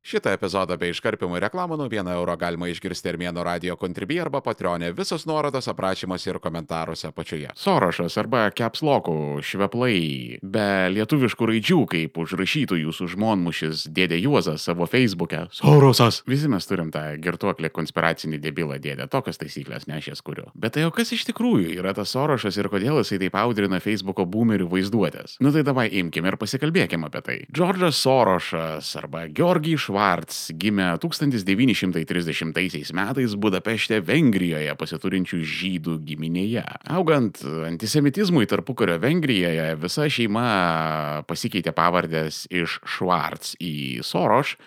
Šitą epizodą bei iškarpimų reklamų nuo 1 euro galima išgirsti Armėnų radio Contribui arba Patreon'e. Visos nuorodos aprašymuose ir komentaruose apačioje. Sorošas arba Caps Lock'ų šveplai be lietuviškų raidžių, kaip užrašytų jūsų žmonmušis dėdė Juozas savo Facebook'e. Sorosas! Visi mes turim tą girtuoklį konspiracinį debilą dėdę. Tokias taisyklės ne aš jas kuriu. Bet tai jau kas iš tikrųjų yra tas Sorošas ir kodėl jisai taip audrina Facebook'o boomerių vaizduotės? Nu tai davai imkim ir pasikalbėkim apie tai. Džordžas Sorošas arba Georgij Švarc gimė 1930 metais Budapešte, Vengrijoje pasiturinčių žydų giminėje. Augant antisemitizmui tarpukario Vengrijoje, visa šeima pasikeitė pavardės iš Švarc į Soroš.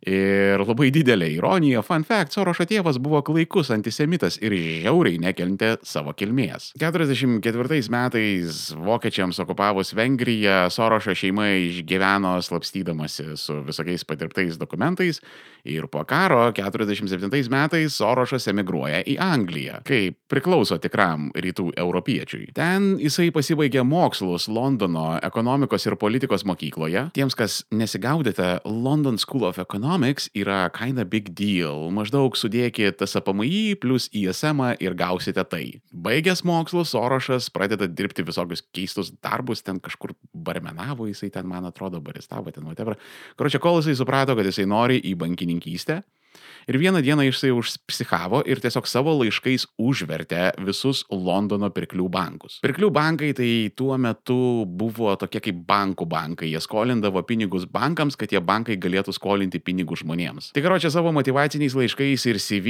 Ir labai didelė ironija, fun fact, Sorošo tėvas buvo klaikus antisemitas ir žiauriai nekentė savo kilmės. 44 metais vokiečiams okupavus Vengriją, Sorošo šeima išgyveno slapstydamasi su visokiais padirbtais dokumentais ir po karo 47 metais Sorošas emigruoja į Angliją, kaip priklauso tikram rytų europiečiui. Ten jisai pasibaigė mokslus Londono ekonomikos ir politikos mokykloje. Tiems, kas nesigaudėte, London School of Economics yra kinda big deal. Maždaug sudėkit TSPMI plus ISM ir gausite tai. Baigęs mokslus, Sorošas pradeda dirbti visokius keistus darbus, ten kažkur barmenavo, jisai ten, man atrodo, baristavo, ten whatever. Karočią, kol jisai suprato, kad jisai nori į bankininkystę. Ir vieną dieną jisai užpsichavo ir tiesiog savo laiškais užvertė visus Londono pirklių bankus. Pirklių bankai tai tuo metu buvo tokie kaip bankų bankai. Jie skolindavo pinigus bankams, kad tie bankai galėtų skolinti pinigus žmonėms. Tai karočią, savo motyvaciniais laiškais ir CV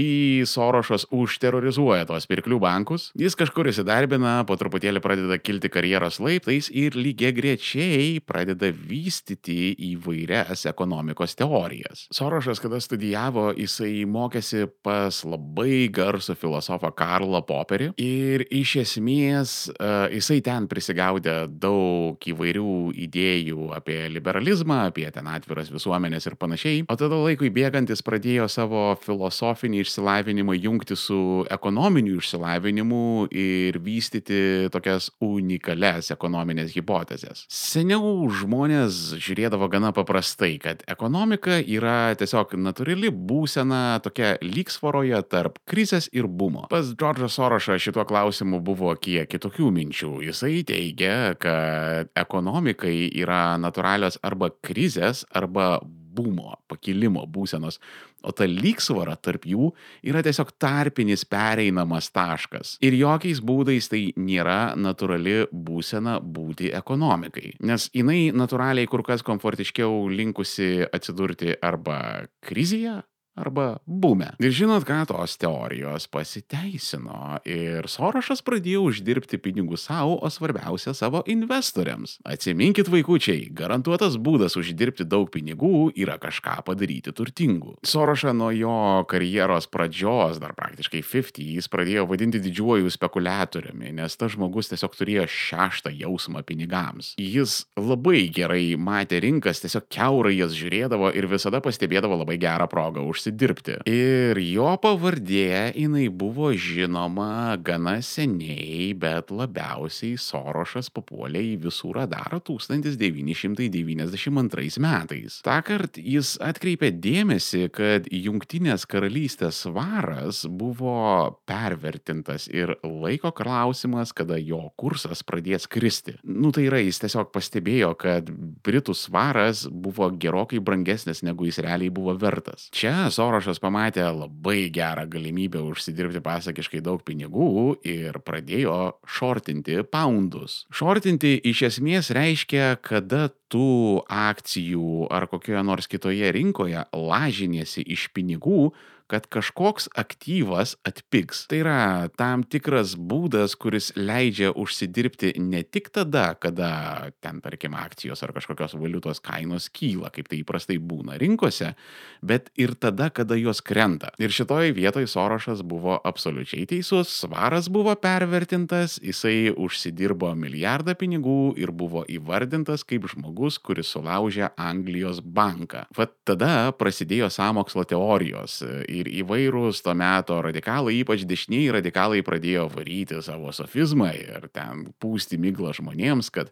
Sorošas užterrorizuoja tos pirklių bankus. Jis kažkur įsidarbina, po truputėlį pradeda kilti karjeros laiptais ir lygiagrečiai pradeda vystyti įvairias ekonomikos teorijas. Sorošas, kada studijavo, jisai mokėsi pas labai garsų filosofą Karlą Poperį ir iš esmės jisai ten prisigaudė daug įvairių idėjų apie liberalizmą, apie ten atviras visuomenės ir panašiai, o tada laikui bėgant jis pradėjo savo filosofinį išsilavinimą jungti su ekonominiu išsilavinimu ir vystyti tokias unikalias ekonominės hipotezes. Seniau žmonės žiūrėdavo gana paprastai, kad ekonomika yra tiesiog natūrali būsena tokia lygsvaroje tarp krizės ir bumo. Pas Džordžą Sorošą šituo klausimu buvo kiek kitokių minčių. Jisai teigia, kad ekonomikai yra natūralios arba krizės, arba bumo, pakilimo būsenos, o ta lygsvara tarp jų yra tiesiog tarpinis pereinamas taškas. Ir jokiais būdais tai nėra natūrali būsena būti ekonomikai, nes jinai natūraliai kur kas komfortiškiau linkusi atsidurti arba krizėje, arba bume. Ir žinot ką, tos teorijos pasiteisino ir Sorošas pradėjo uždirbti pinigų savo, o svarbiausia savo investoriams. Atsiminkit, vaikučiai, garantuotas būdas uždirbti daug pinigų yra kažką padaryti turtingu. Sorošą nuo jo karjeros pradžios, dar praktiškai 50s, pradėjo vadinti didžiuoju spekuliatoriumi, nes tas žmogus tiesiog turėjo šeštą jausmą pinigams. Jis labai gerai matė rinkas, tiesiog kiaurai jas žiūrėdavo ir visada pastebėdavo labai gerą progą užsidirbti. Ir jo pavardė jinai buvo žinoma gana seniai, bet labiausiai Sorošas papuolė į visų radarą 1992 metais. Tąkart jis atkreipė dėmesį, kad Jungtinės karalystės svaras buvo pervertintas ir laiko klausimas, kada jo kursas pradės kristi. Tai yra, jis tiesiog pastebėjo, kad Britų svaras buvo gerokai brangesnis, negu jis realiai buvo vertas. Čia Sorošas pamatė labai gerą galimybę užsidirbti pasakiškai daug pinigų ir pradėjo šortinti poundus. Šortinti iš esmės reiškia, kada tu akcijų ar kokioje nors kitoje rinkoje lažiniesi iš pinigų, kad kažkoks aktyvas atpigs. Tai yra tam tikras būdas, kuris leidžia užsidirbti ne tik tada, kada ten, tarkim, akcijos ar kažkokios valiutos kainos kyla, kaip tai įprastai būna rinkose, bet ir tada, kada jos krenta. Ir šitoj vietoj Sorošas buvo absoliučiai teisus, svaras buvo pervertintas, jisai užsidirbo milijardą pinigų ir buvo įvardintas kaip žmogus žmogus, kuris sulaužė Anglijos banką. Vat tada prasidėjo sąmokslo teorijos ir įvairūs to meto radikalai, ypač dešinieji radikalai, pradėjo varyti savo sofizmą ir ten pūsti miglą žmonėms, kad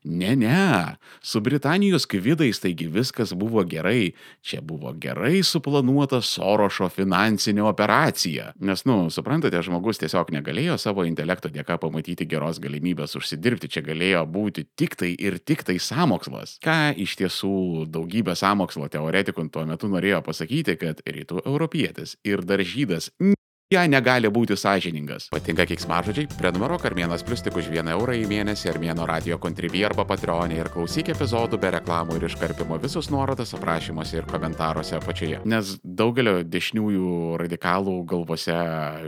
ne, su Britanijos kvidais taigi viskas buvo gerai, čia buvo gerai suplanuota Sorošo finansinė operacija. Nes, suprantate, žmogus tiesiog negalėjo savo intelekto dėka pamatyti geros galimybės užsidirbti, čia galėjo būti tik tai sąmokslas. Ką iš tiesų daugybė sąmokslo teoretikų tuo metu norėjo pasakyti, kad rytų europietis ir dar žydas negali būti sąžiningas. Patinka keiksmažodžiai? Prenumeruok Armėnas Plius tik už 1 eurą į mėnesį Armėno Radio Contribui arba Patreon'e ir klausyk epizodų be reklamų ir iškarpimo, visus nuorodas aprašymuose ir komentaruose apačioje. Nes daugelio dešiniųjų radikalų galvose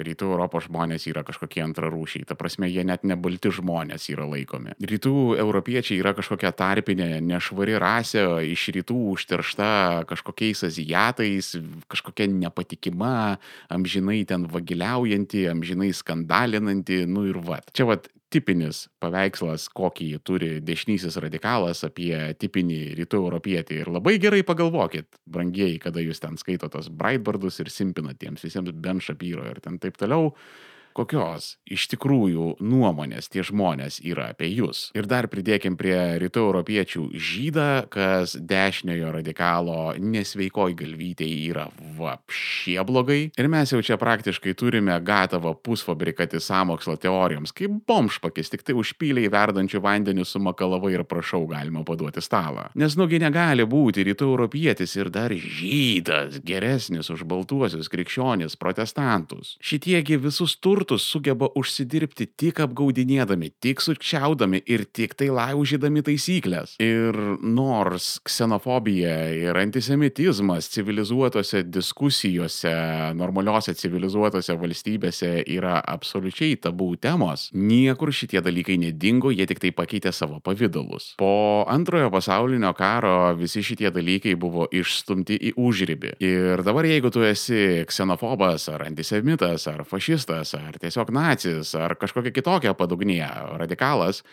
rytų Europos žmonės yra kažkokie antrarūšiai. Ta prasme, jie net nebalti žmonės yra laikomi. Rytų europiečiai yra kažkokia tarpinė, nešvari rasė, iš rytų užteršta kažkokiais azijatais, kažkokia nepatikima, amžinai ten vagiliaujanti, amžinai skandalinanti, ir vat. Čia tipinis paveikslas, kokį turi dešinysis radikalas apie tipinį rytų europietį. Ir labai gerai pagalvokit, brangieji, kada jūs ten skaitotos Breitbardus ir simpinat tiems visiems Ben Shapiro ir ten taip toliau. Kokios iš tikrųjų nuomonės tie žmonės yra apie jūs. Ir dar pridėkim prie rytų europiečių žydą, kas dešiniojo radikalo nesveikoj galvytėj yra vapšie blogai. Ir mes jau čia praktiškai turime gatavą pusfabrikatį sąmokslo teorijoms, kaip bomžpakis, tik tai užpyliai verdančių vandenių sumakalavai ir prašau galima paduoti stalą. Nes negali būti rytų europietis ir dar žydas geresnis už baltuosius krikščionis protestantus. Šitiegi visus turtus sugeba užsidirbti tik apgaudinėdami, tik sukčiaudami ir tik tai laužydami taisyklės. Ir nors ksenofobija ir antisemitizmas civilizuotose diskusijose, normaliose civilizuotose valstybėse yra absoliučiai tabų temos, niekur šitie dalykai nedingo, jie tik tai pakeitė savo pavidalus. Po antrojo pasaulinio karo visi šitie dalykai buvo išstumti į užribį. Ir dabar jeigu tu esi ksenofobas ar antisemitas ar fašistas ar tiesiog nacis, ar kažkokia kitokia padugnė radikalas,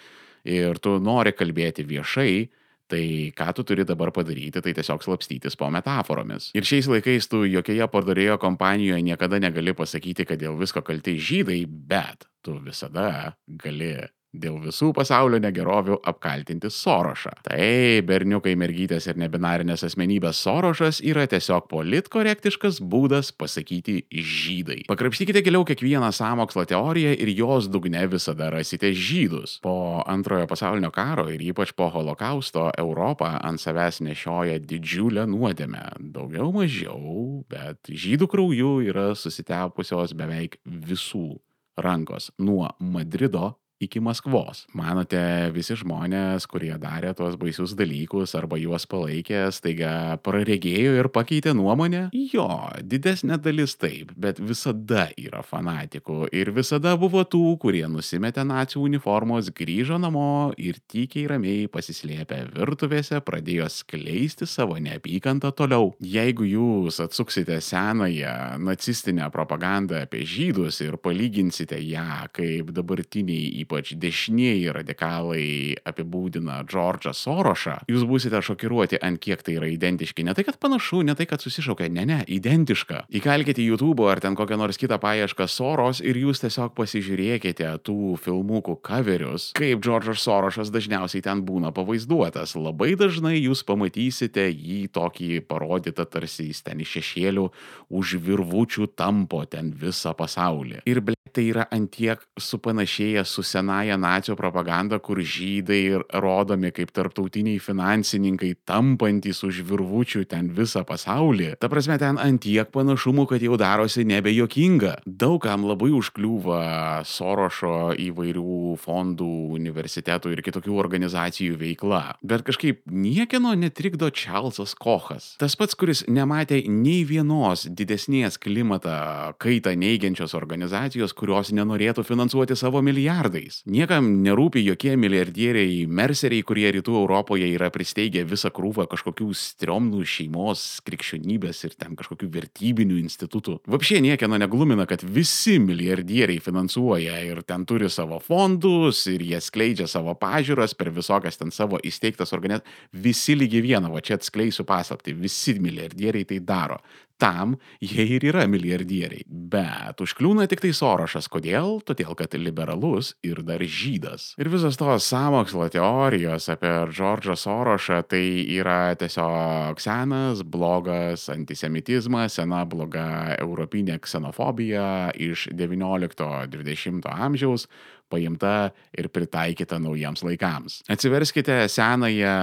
ir tu nori kalbėti viešai, tai ką tu turi dabar padaryti, tai tiesiog slapstytis po metaforomis. Ir šiais laikais tu jokioje pardavėjo kompanijoje niekada negali pasakyti, kad dėl visko kalti žydai, bet tu visada gali dėl visų pasaulio negerovių apkaltinti Sorošą. Tai berniukai, mergytės ir nebinarinės asmenybės Sorošas yra tiesiog politkorektiškas būdas pasakyti žydai. Pakrapštykite giliau kiekvieną sąmokslo teoriją ir jos dugne visada rasite žydus. Po antrojo pasaulinio karo ir ypač po holokausto Europą ant savęs nešioja didžiulę nuodėmę. Daugiau mažiau, bet žydų krauju yra susitepusios beveik visų rankos nuo Madrido iki Maskvos. Manote, visi žmonės, kurie darė tuos baisius dalykus arba juos palaikė, staiga praregėjo ir pakeitė nuomonę? Jo, didesnė dalis taip, bet visada yra fanatikų ir visada buvo tų, kurie nusimetė nacių uniformos, grįžo namo ir tykiai ramiai pasislėpę virtuvėse pradėjo skleisti savo neapykantą toliau. Jeigu jūs atsuksite senąją nacistinę propagandą apie žydus ir palyginsite ją, kaip dabartiniai ypač dešinieji radikalai apibūdina Džordžą Sorošą, jūs būsite šokiruoti, ant kiek tai yra identiški. Ne tai, kad panašu, ne tai, kad susišaukia, ne, identiška. Įkalkite į YouTube ar ten kokią nors kitą paiešką Soros ir jūs tiesiog pasižiūrėkite tų filmukų coverius, kaip Džordžas Sorošas dažniausiai ten būna pavaizduotas. Labai dažnai jūs pamatysite jį tokį parodytą, tarsi jis ten iš šešėlių už virvučių tampo ten visą pasaulį. Ir tai yra antiek supanašėję su senąją nacių propagandą, kur žydai rodomi kaip tarptautiniai finansininkai tampantys už virvučių ten visą pasaulį. Ta prasme, ten antiek panašumų, kad jau darosi nebejokinga. Daugam labai užkliūva Sorošo įvairių fondų, universitetų ir kitokių organizacijų veikla. Bet kažkaip niekieno netrikdo Čarlzas Kochas. Tas pats, kuris nematė nei vienos didesnės klimatą kaitą neigiančios organizacijos, kurios nenorėtų finansuoti savo milijardais. Niekam nerūpi jokie milijardieriai, merseriai, kurie rytų Europoje yra pristeigę visą krūvą kažkokių striomnų šeimos, krikščionybės ir ten kažkokių vertybinių institutų. Vapšė niekieno neglumina, kad visi milijardieriai finansuoja ir ten turi savo fondus ir jie skleidžia savo pažiūras per visokias ten savo įsteigtas organizacijas. Visi lygiai vieną, va čia atskleisiu paslaptį, visi milijardieriai tai daro. Tam jie ir yra milijardieriai. Bet užkliūna tik tai Sorošas. Kodėl? Todėl, kad liberalus ir dar žydas. Ir visos tos sąmokslo teorijos apie Džordžą Sorošą tai yra tiesiog senas, blogas antisemitizmas, sena bloga europinė ksenofobija iš 19-20 amžiaus, paimta ir pritaikyta naujiems laikams. Atsiverskite senąją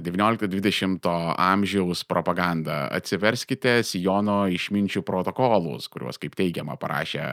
19-20 amžiaus propagandą, atsiverskite Siono išminčių protokolus, kuriuos, kaip teigiama, parašė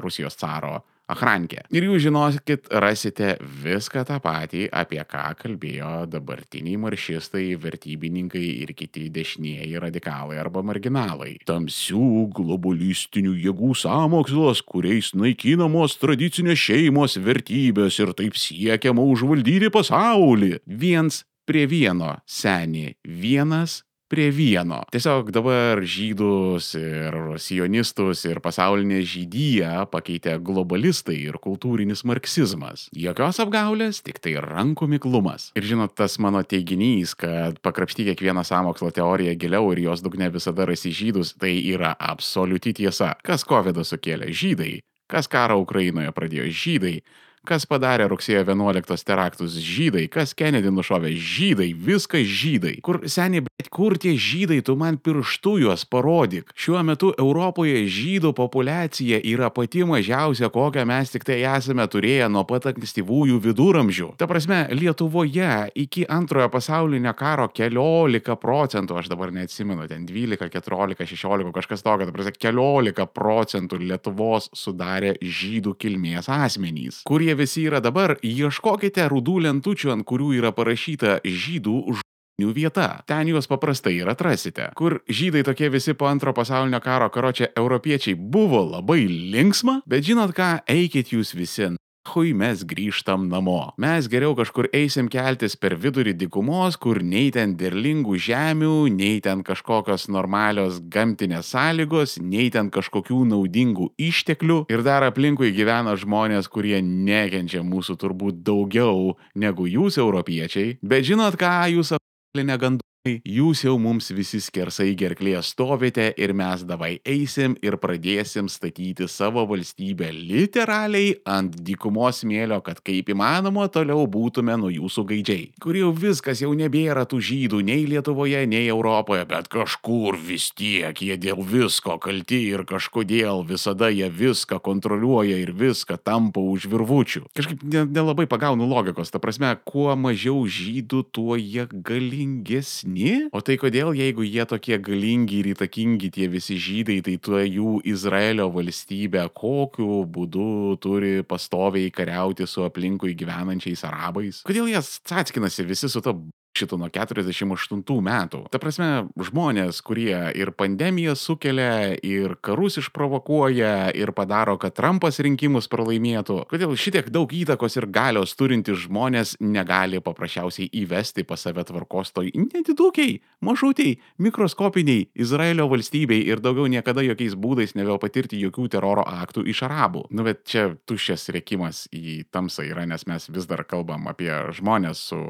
Rusijos caro Achrankė. Ir jūs žinokit, rasite viską tą patį, apie ką kalbėjo dabartiniai maršistai, vertybininkai ir kiti dešinieji radikalai arba marginalai. Tamsių globalistinių jėgų sąmokslas, kuriais naikinamos tradicinės šeimos vertybės ir taip siekiama užvaldyti pasaulį. Viens prie vieno, seni, vienas prie vieno. Tiesiog dabar žydus ir sionistus ir pasaulinę žydiją pakeitė globalistai ir kultūrinis marksizmas. Jokios apgaulės, tik tai rankų miklumas. Ir žinot, tas mano teiginys, kad pakrapšty kiekvieną sąmokslo teoriją giliau ir jos dugne visada rasi žydus, tai yra absoliuti tiesa. Kas covidą sukėlė? Žydai. Kas karą Ukrainoje pradėjo? Žydai. Kas padarė rugsėjo 11 teraktus? Žydai. Kas Kennedy nušovė? Žydai. Viskas žydai. Kur tie žydai, tu man pirštu juos parodyk. Šiuo metu Europoje žydų populiacija yra pati mažiausia, kokią mes tik tai esame turėję nuo pat ankstyvųjų viduramžių. Ta prasme, Lietuvoje iki antrojo pasaulinio karo 14%, aš dabar neatsimenu, ten 12, 14, 16, kažkas tokio, ta prasme, 14% Lietuvos sudarė žydų kilmės asmenys. Kurie visi yra dabar, ieškokite rudų lentučių, ant kurių yra parašyta žydų žmonių vieta. Ten juos paprastai ir atrasite. Kur žydai tokie visi po antro pasaulinio karo karočią europiečiai buvo labai linksma, bet žinot ką, eikit jūs visi. Mes grįžtam namo. Mes geriau kažkur eisim keltis per vidurį dykumos, kur nei ten derlingų žemių, nei ten kažkokios normalios gamtinės sąlygos, nei ten kažkokių naudingų išteklių. Ir dar aplinkui gyvena žmonės, kurie nekenčia mūsų turbūt daugiau negu jūs europiečiai. Bet žinot ką, jūs aplinę gandų? Jūs jau mums visi skersai gerklėje stovite ir mes davai eisim ir pradėsim statyti savo valstybę literaliai ant dykumos smėlio, kad kaip įmanoma toliau būtume nuo jūsų gaidžiai. Kur jau viskas jau nebėra tų žydų nei Lietuvoje, nei Europoje, bet kažkur vis tiek jie dėl visko kalti ir kažkodėl visada jie viską kontroliuoja ir viską tampa už virvučių. Kažkaip nelabai pagaunu logikos, ta prasme, kuo mažiau žydų, tuo jie galingesni. O tai kodėl, jeigu jie tokie galingi ir įtakingi tie visi žydai, tai tuo jų Izraelio valstybė kokiu būdu turi pastoviai kariauti su aplinkui gyvenančiais arabais? Kodėl jie atskinasi visi su to šito nuo 48 metų? Ta prasme, žmonės, kurie ir pandemiją sukelia, ir karus išprovokuoja, ir padaro, kad Trumpas rinkimus pralaimėtų. Kodėl šitiek daug įtakos ir galios turintys žmonės negali paprasčiausiai įvesti pas save tvarkos toj nedidukiai, mažutiai, mikroskopiniai Izraelio valstybei ir daugiau niekada jokiais būdais nebepatirti jokių teroro aktų iš arabų? Nu, bet čia tuščias rėkimas į tamsą yra, nes mes vis dar kalbam apie žmonės su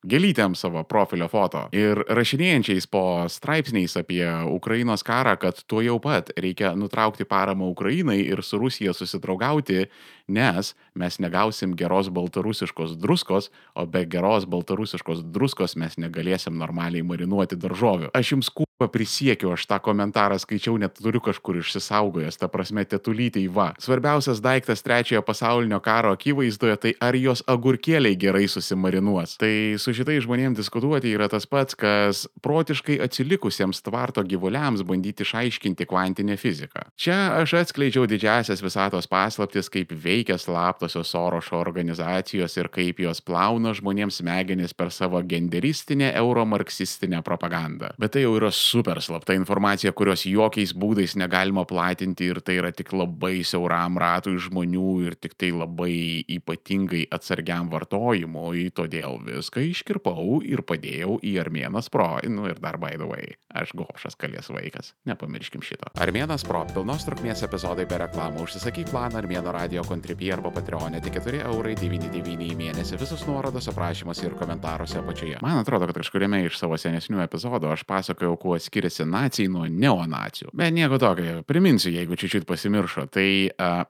gėlytėm savo profilio foto ir rašinėjančiais po straipsniais apie Ukrainos karą, kad tuo jau pat reikia nutraukti paramą Ukrainai ir su Rusija susidraugauti, nes mes negausim geros baltarusiškos druskos, o be geros baltarusiškos druskos mes negalėsim normaliai marinuoti daržovių. Aš jums prisiekiu, aš tą komentarą skaičiau, net turiu kažkur išsisaugojęs, ta prasme tetulytei va. Svarbiausias daiktas trečiojo pasaulinio karo akivaizdoje, tai ar jos agurkėliai gerai susimarinuos. Tai su šitai žmonėms diskutuoti yra tas pats, kas protiškai atsilikusiems tvarto gyvuliams bandyti išaiškinti kvantinę fiziką. Čia aš atskleidžiau didžiasias visatos paslaptis, kaip veikia slaptosios Sorošo organizacijos ir kaip jos plauna žmonėms smegenis per savo genderistinę euromarksistinę propagandą. Bet tai jau yra super slapta informacija, kurios jokiais būdais negalima platinti ir tai yra tik labai siauram ratui žmonių ir tik tai labai ypatingai atsargiam vartojimui, todėl viską iškirpau ir padėjau į Armėnas Pro. Nu ir dar by the way, aš gobšas kalės vaikas, nepamirškim šito. Armėnas Pro pilnos trukmės epizodai be reklamų. Užsisakyk planą Armėno radio Contribui arba Patreon'e tik 4,99 € į mėnesį. Visus nuorodos aprašymuose ir komentaruose apačioje. Man atrodo, kad kažkuriame iš savo senesnių epizodų aš pasakojau, kuo skiriasi nacijai nuo neonacijų. Bet nieko tokio, priminsiu, jeigu čiūčiut pasimiršo. Tai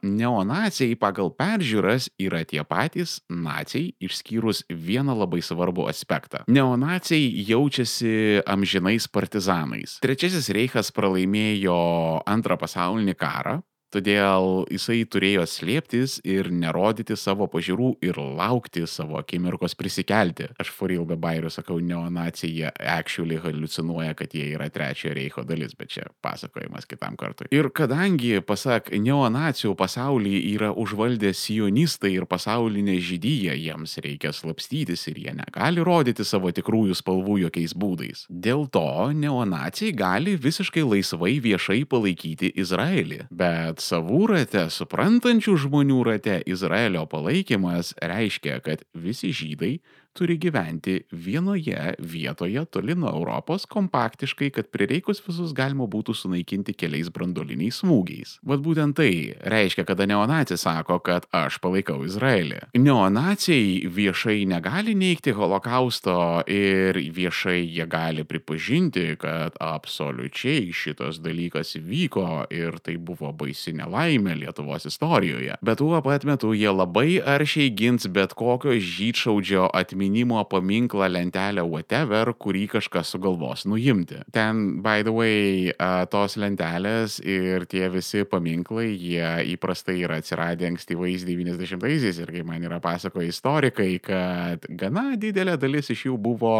neonacijai pagal peržiūras yra tie patys nacijai, išskyrus vieną labai svarbų aspektą. Neonacijai jaučiasi amžinais partizanais. Trečiasis reichas pralaimėjo Antrą pasaulinį karą. Todėl jisai turėjo slėptis ir nerodyti savo pažiūrų ir laukti savo akimirkos prisikelti. Aš for real be bairių sakau, neonacijai jie actually haliucinuoja, kad jie yra Trečiojo reicho dalis, bet čia pasakojimas kitam kartui. Ir kadangi, pasak neonacijų, pasaulį yra užvaldę sionistai ir pasaulinė žydyja, jiems reikia slapstytis ir jie negali rodyti savo tikrųjų spalvų jokiais būdais. Dėl to neonacijai gali visiškai laisvai viešai palaikyti Izraelį. Bet savų rate, suprantančių žmonių rate, Izraelio palaikymas reiškia, kad visi žydai turi gyventi vienoje vietoje toli nuo Europos kompaktiškai, kad prireikus visus galima būtų sunaikinti keliais branduoliniais smūgiais. Vat būtent tai reiškia, kada neonacija sako, kad aš palaikau Izraelį. Neonacijai viešai negali neigti holokausto ir viešai jie gali pripažinti, kad absoliučiai šitas dalykas vyko ir tai buvo baisi nelaimė Lietuvos istorijoje. Bet tuo pat metu jie labai aršiai gins bet kokio žydšaudžio atminimo paminklą, lentelę, whatever, kurį kažkas sugalvos nuimti. Ten, by the way, tos lentelės ir tie visi paminklai, jie įprastai yra atsiradę ankstyvais 90-aisiais ir kaip man yra pasakoję istorikai, kad gana didelė dalis iš jų buvo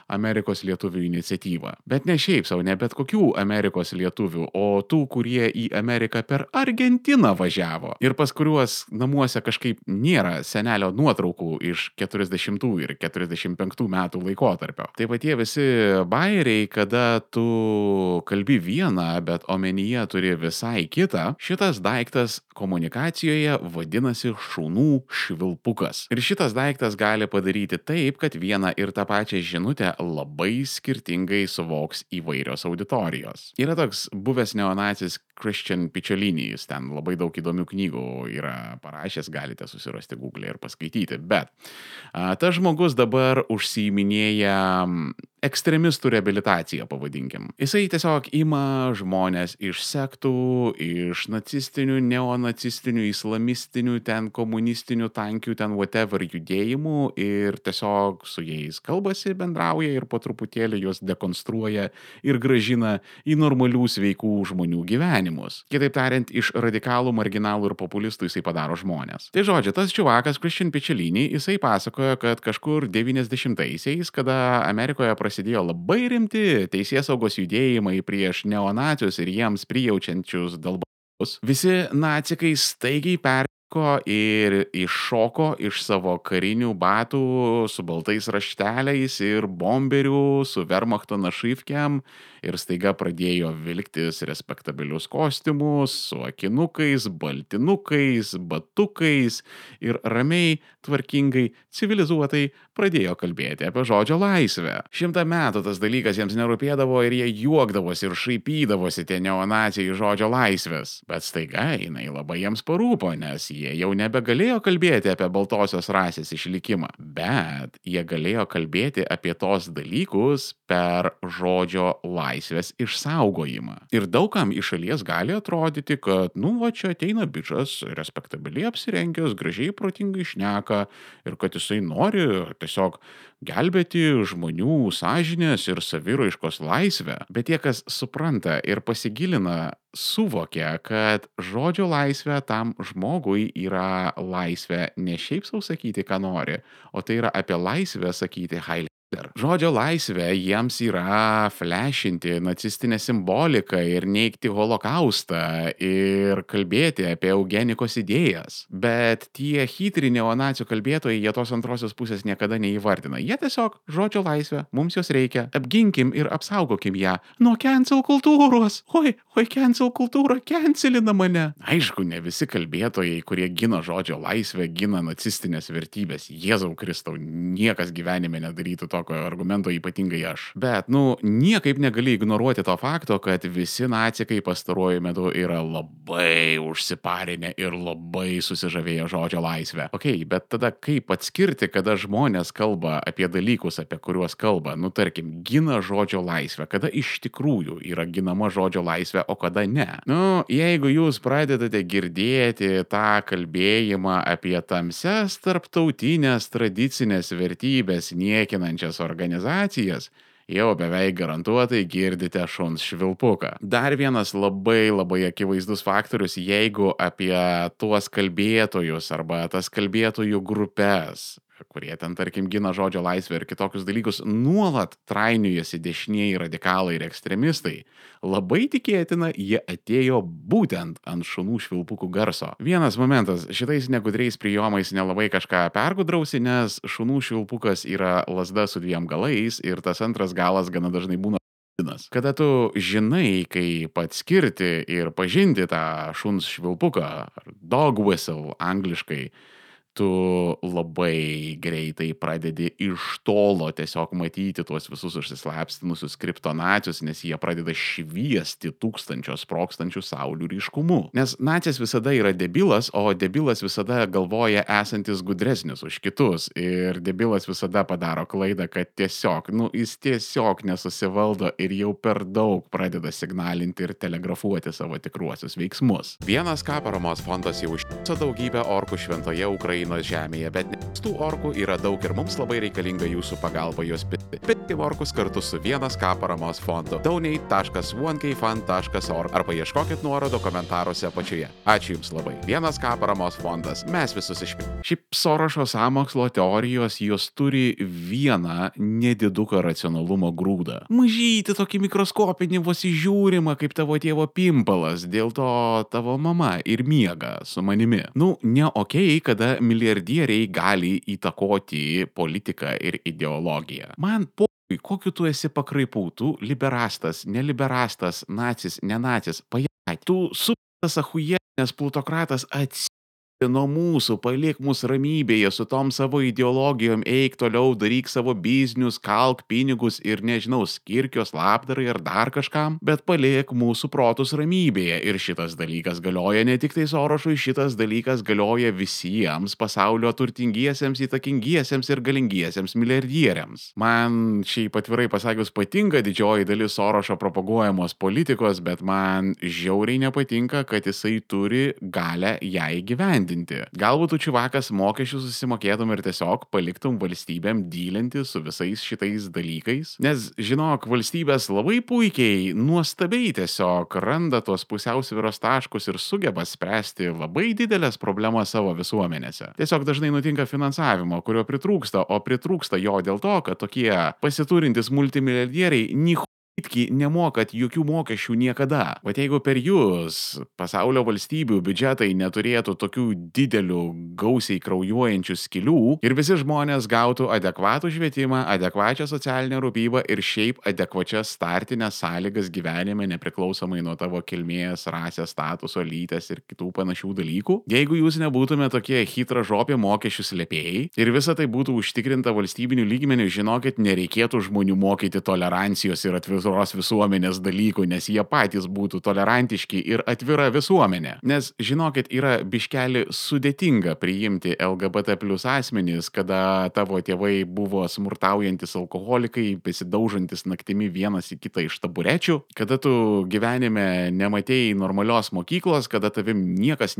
Amerikos lietuvių iniciatyva. Bet ne šiaip sau, ne bet kokių Amerikos lietuvių, o tų, kurie į Ameriką per Argentiną važiavo ir pas kuriuos namuose kažkaip nėra senelio nuotraukų iš 40 ir 45 metų laikotarpio. Tai va tie visi bairiai, kada tu kalbi vieną, bet omenyje turi visai kitą, šitas daiktas komunikacijoje vadinasi šunų švilpukas. Ir šitas daiktas gali padaryti taip, kad vieną ir tą pačią žinutę labai skirtingai suvoks įvairios auditorijos. Yra toks buvęs neonacis Christian Picciolini, jis ten labai daug įdomių knygų yra parašęs, galite susirasti Google ir paskaityti, bet tas žmogus dabar užsiiminėja ekstremistų reabilitaciją, pavadinkim. Jisai tiesiog ima žmonės iš sektų, iš nacistinių, neonacistinių, islamistinių, ten komunistinių, tankių, ten whatever judėjimų ir tiesiog su jais kalbasi, bendrauja ir po truputėlį juos dekonstruoja ir grąžina į normalių sveikų žmonių gyvenimus. Kitaip tariant, iš radikalų, marginalų ir populistų jisai padaro žmonės. Tai žodžiu, tas čiuvakas Christian Picciolini, jisai pasakoja, kad kažkur 90-aisiais, kada Amerikoje prasidėjo labai rimti teisėsaugos judėjimai prieš neonacius ir jiems prijaučiančius dalbus, visi nacikai staigiai perko ir iššoko iš savo karinių batų su baltais rašteliais ir bomberių su Wehrmachto našivkiam ir staiga pradėjo vilktis respektabilius kostiumus su akinukais, baltinukais, batukais ir ramiai, tvarkingai, civilizuotai pradėjo kalbėti apie žodžio laisvę. 100 metų tas dalykas jiems nerūpėdavo ir jie juokdavosi ir šaipydavosi tie neonacijai žodžio laisvės. Bet staiga jinai labai jiems parūpo, nes jie jau nebegalėjo kalbėti apie baltosios rasės išlikimą, bet jie galėjo kalbėti apie tos dalykus per žodžio laisvės išsaugojimą. Ir daugam iš šalies gali atrodyti, kad, va čia ateina bičas, respektabiliai apsirengęs, gražiai protingai šneka ir kad jisai nori tiesiog gelbėti žmonių sąžinės ir saviraiškos laisvę. Bet tie, kas supranta ir pasigilina, suvokia, kad žodžio laisvė tam žmogui yra laisvė ne šiaip sau sakyti, ką nori, o tai yra apie laisvę sakyti Heil Žodžio laisvė jiems yra flešinti nacistinę simboliką ir neigti holokaustą ir kalbėti apie eugenikos idėjas. Bet tie chytri neonacių kalbėtojai, jie tos antrosios pusės niekada neįvardina. Jie tiesiog žodžio laisvė, mums jos reikia, apginkim ir apsaugokim ją nuo cancel kultūros. Oi, cancel kultūra cancelina mane. Aišku, ne visi kalbėtojai, kurie gina žodžio laisvę, gina nacistinės vertybės. Jėzau Kristau, niekas gyvenime nedarytų tokio argumento, ypatingai aš. Bet, niekaip negali ignoruoti to fakto, kad visi nacikai pastaruoju metu yra labai užsiparinę ir labai susižavėję žodžio laisvę. Bet tada kaip atskirti, kada žmonės kalba apie dalykus, apie kuriuos kalba, tarkim, gina žodžio laisvę, kada iš tikrųjų yra ginama žodžio laisvė, o kada ne. Jeigu jūs pradedate girdėti tą kalbėjimą apie tamsias tarptautinės tradicinės vertybės niekinančias organizacijas, jau beveik garantuotai girdite šuns švilpuką. Dar vienas labai akivaizdus faktorius, jeigu apie tuos kalbėtojus arba tas kalbėtojų grupės, kurie ten, tarkim, gina žodžio laisvę ir kitokius dalykus, nuolat trainiojasi dešinieji radikalai ir ekstremistai, labai tikėtina, jie atėjo būtent ant šunų švilpukų garso. Vienas momentas, šitais negudriais prijomais nelabai kažką pergudrausi, nes šunų švilpukas yra lazda su dviem galais ir tas antras galas gana dažnai būna. Kada tu žinai, kaip atskirti ir pažinti tą šuns švilpuką, dog whistle angliškai, tu labai greitai pradedi iš tolo tiesiog matyti tuos visus užsislapstinusius kriptonacius, nes jie pradeda šviesti tūkstančio sprogstančių saulių ryškumu. Nes nacis visada yra debilas, o debilas visada galvoja esantis gudresnis už kitus. Ir debilas visada padaro klaidą, kad jis tiesiog nesusivaldo ir jau per daug pradeda signalinti ir telegrafuoti savo tikruosius veiksmus. Vienas K paramos fondas jau užtiso daugybę orkų šventoje Ukrainoje žemėje, bet tų orkų yra daug ir mums labai reikalinga jūsų pagalba juos pirkti. Pirkti orkus kartu su 1K paramos fondu. donate.1kfund.org arba ieškokit nuorodo komentaruose apačioje. Ačiū Jums labai. 1K paramos fondas. Mes visus išpirkime. Šiaip Sorošo sąmokslo teorijos jos turi vieną nediduką racionalumo grūdą. Mažyti tokį mikroskopinį vos įžiūrimą kaip tavo tėvo pimpalas, dėl to tavo mama ir miega su manimi. Ne okei, kada milijardieriai gali įtakoti politiką ir ideologiją. Man kokiu tu esi pakraipų, tu liberastas, neliberastas, nacis, nenacis, tu suptas achujienės plutokratas nuo mūsų, palik mus ramybėje su tom savo ideologijom, eik toliau, daryk savo biznius, kalk pinigus ir skirkios labdarai ar dar kažkam, bet palik mūsų protus ramybėje. Ir šitas dalykas galioja ne tik tai Sorošui, šitas dalykas galioja visiems pasaulio turtingiesiems, įtakingiesiems ir galingiesiems milijardieriams. Man šiaip atvirai pasakius patinka didžioji dalis Sorošo propaguojamos politikos, bet man žiauriai nepatinka, kad jisai turi galę ją įgyvendinti. Galbūt tu čiuvakas mokesčių susimokėtum ir tiesiog paliktum valstybėm dylinti su visais šitais dalykais. Nes, žinok, valstybės labai puikiai, nuostabiai tiesiog randa tos pusiausvyros taškus ir sugeba spręsti labai didelės problemas savo visuomenėse. Tiesiog dažnai nutinka finansavimo, kurio pritrūksta, o pritrūksta jo dėl to, kad tokie pasiturintys multimilijardieriai nemokat jokių mokesčių niekada. Bet jeigu per jūs pasaulio valstybių biudžetai neturėtų tokių didelių, gausiai kraujuojančių skylių ir visi žmonės gautų adekvatų švietimą, adekvačią socialinę rūpybą ir šiaip adekvačias startinės sąlygas gyvenime nepriklausomai nuo tavo kilmės, rasės, statuso, lyties ir kitų panašių dalykų, jeigu jūs nebūtume tokie hitražopė mokesčių slėpėjai ir visa tai būtų užtikrinta valstybinių lygmenių, žinokit, nereikėtų žmonių mokyti tolerancijos ir atviros visuomenės dalykų, nes jie patys būtų tolerantiški ir atvira visuomenė. Nes, žinokit, yra biškelį sudėtinga priimti LGBT plus asmenys, kada tavo tėvai buvo smurtaujantis alkoholikai, besidaužantis naktimi vienas į kitą iš taburečių, kada tu gyvenime nematėjai normalios mokyklos, kada tavim niekas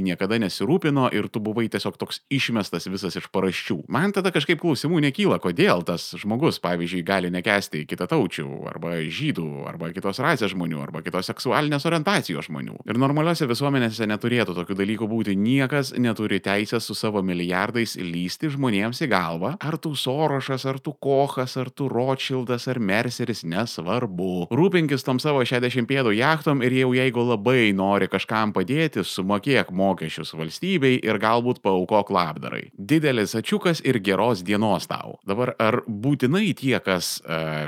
niekada nesirūpino ir tu buvai tiesiog toks išmestas visas iš paraščių. Man tada kažkaip klausimų nekyla, kodėl tas žmogus, pavyzdžiui, gali nekęsti kitataučių, arba žydų, arba kitos rasės žmonių, arba kitos seksualinės orientacijos žmonių. Ir normaliuose visuomenėse neturėtų tokių dalykų būti. Niekas neturi teisės su savo milijardais lysti žmonėms į galvą. Ar tu Sorošas, ar tu Kochas, ar tu Rothschildas, ar Merceris, nesvarbu. Rūpinkis tom savo 60 pėdų jachtom ir jau jeigu labai nori kažkam padėti, sumokėk mokesčius valstybei ir galbūt paaukok labdarai. Didelis ačiukas ir geros dienos tau. Dabar ar būtinai tie, kas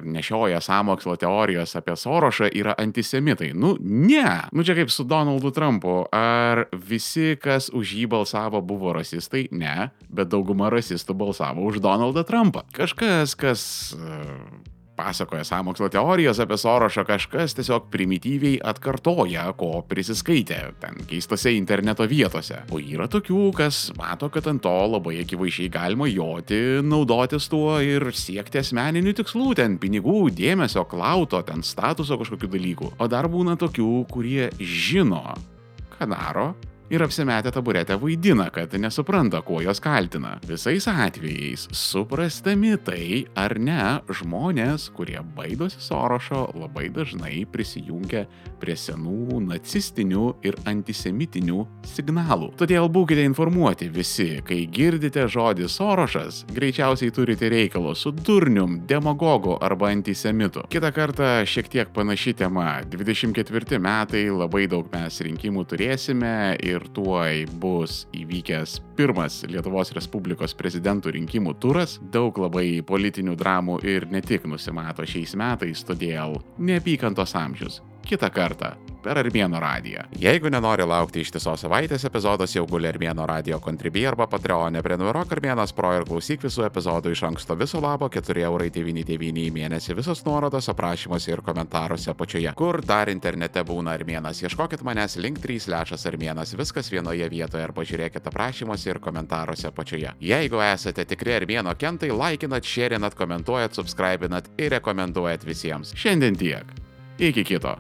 nešioja sąmokslo teorijos apie Sorošą, yra antisemitai? Nu, ne. Nu, čia kaip su Donaldu Trumpu. Ar visi, kas už jį balsavo, buvo rasistai? Ne. Bet dauguma rasistų balsavo už Donaldą Trumpą. Kažkas, kas pasakoja sąmokslo teorijas apie Sorošą, kažkas tiesiog primityviai atkartoja, ko prisiskaitė ten keistose interneto vietose. O yra tokių, kas mato, kad ant to labai akivaizdžiai galima joti, naudotis tuo ir siekti asmeninių tikslų, ten pinigų, dėmesio, klauto, ten statuso kažkokių dalykų. O dar būna tokių, kurie žino, ką daro, ir apsimetę taburetę vaidina, kad nesupranta, kuo jos kaltina. Visais atvejais, suprastami tai ar ne, žmonės, kurie baidosi Sorošo, labai dažnai prisijungia prie senų nacistinių ir antisemitinių signalų. Todėl būkite informuoti visi, kai girdite žodį Sorošas, greičiausiai turite reikalo su durnium, demagogu arba antisemitu. Kitą kartą šiek tiek panaši tema. 24 metai, labai daug mes rinkimų turėsime ir tuoj bus įvykęs pirmas Lietuvos Respublikos prezidentų rinkimų turas. Daug labai politinių dramų ir ne tik nusimato šiais metais, todėl neapykantos amžius. Kitą kartą per Armėno radiją. Jeigu nenori laukti ištisos savaitės, epizodas jau guli Armėno radio Contribui arba Patreon'e. Prenumeruok Armėnas Pro ir klausyk visų epizodų iš anksto. Viso labo 4,99 € į mėnesį. Visos nuorodos aprašymuose ir komentaruose apačioje. Kur dar internete būna Armėnas? Ieškokit manęs link3/Armėnas. Viskas vienoje vietoje arba žiūrėkit aprašymuose ir komentaruose apačioje. Jeigu esate tikri Armėno kentai, laikinat, šėrinat, komentuojat, subscribinat ir rekomenduojat visiems. Šiandien tiek. Iki kito.